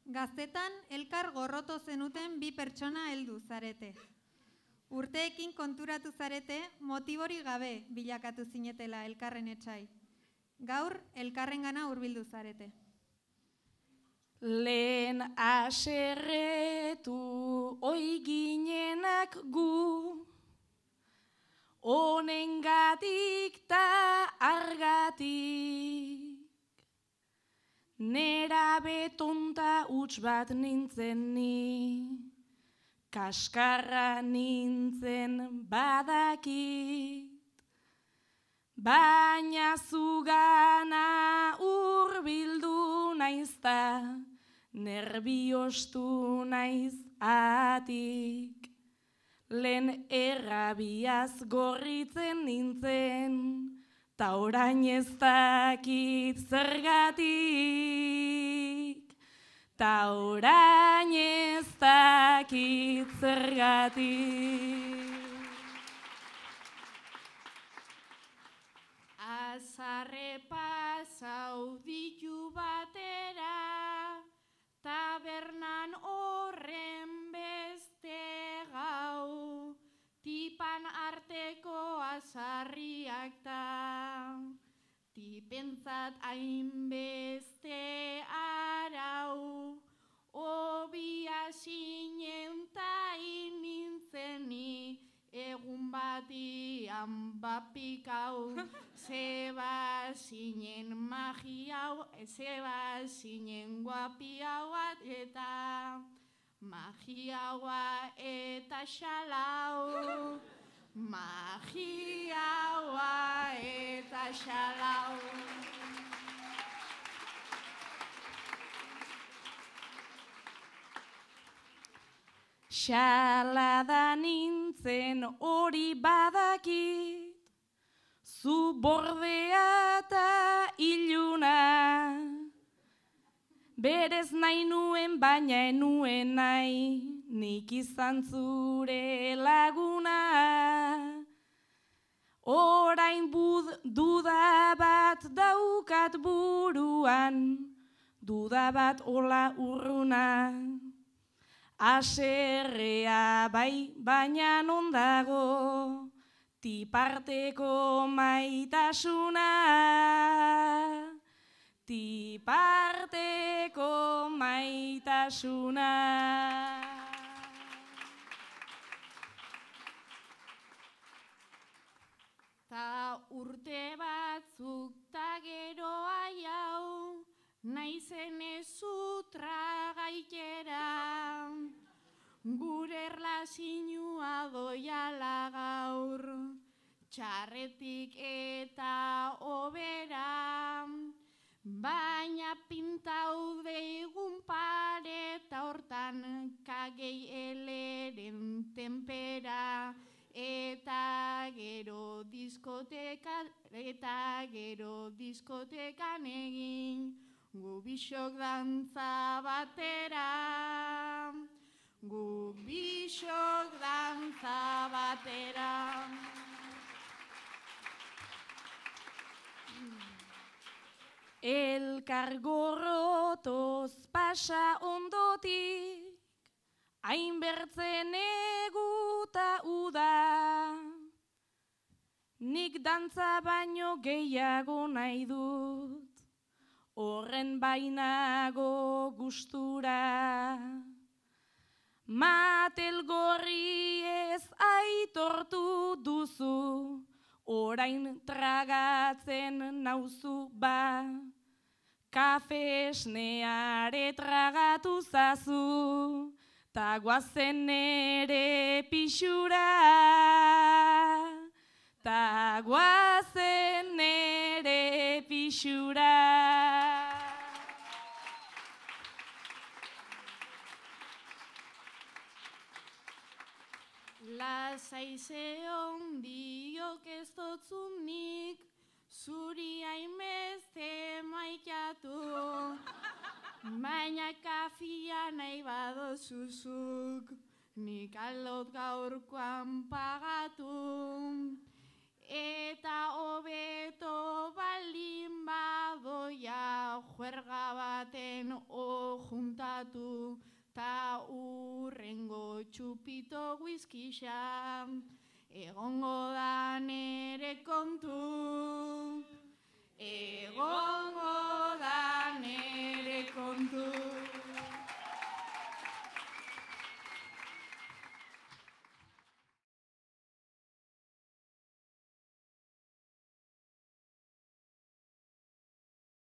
Gaztetan elkar gorroto zenuten bi pertsona heldu zarete. Urteekin konturatu zarete motibori gabe bilakatu zinetela elkarren etsai. Gaur elkarrengana hurbildu zarete. Lehen aserretu oi ginenak gu, honengatik ta argatik. Nera betonta huts bat nintzen ni, kaskarra nintzen badakit. Baina zugana hurbildu naizta, nerbiostu naiz atik. Lehen errabiaz gorritzen nintzen, ta orain ez dakit zergatik. Ta orain ez dakit zergatik. Azarre pasau ditu batera, tabernan horren beste gau, tipan arteko azarriak ta, tipentzat hainbeste arau, obia zinen ta inintzeni, egun batian bapikau, zeba zinen magiau, zeba zinen guapiauat eta magiaua eta xalau, magiaua eta xalau. Xalada nintzen hori badakit, zu bordea eta iluna. Berez nahi nuen baina enuen nahi, nik izan zure laguna. Orain duda bat daukat buruan, duda bat ola urruna. Aserrea bai, baina non dago, tiparteko maitasuna. Tiparteko maitasuna. Ta urte batzuk ta gero aiau, naizen ezutra gaitera, gure erlazinua doiala gaur, txarretik eta obera, baina pintau deigun pareta hortan kagei eleren tenpera, eta gero diskotekan egin, gu bisok dantza batera, gu bisok dantza batera. Elkar gorrotoz pasa ondotik, hainbertzen eguta uda. Nik dantza baino gehiago nahi dut, horren bainago gustura. Matel gorri ez aitortu duzu, orain tragatzen nauzu ba. Kafe esneare tragatu zazu, ta guazen nere pixura. Ta guazen nere pixura. Lasai zeon diok ez dotzunik, zuri hainbeste maitatu, baina kafia nahi badozuzuk, nik aldot gaurkoan pagatu. Eta hobeto baldin badoia juerga baten juntatu, ta urrengo txupito whiskyxa, egongo da nere kontu, egongo da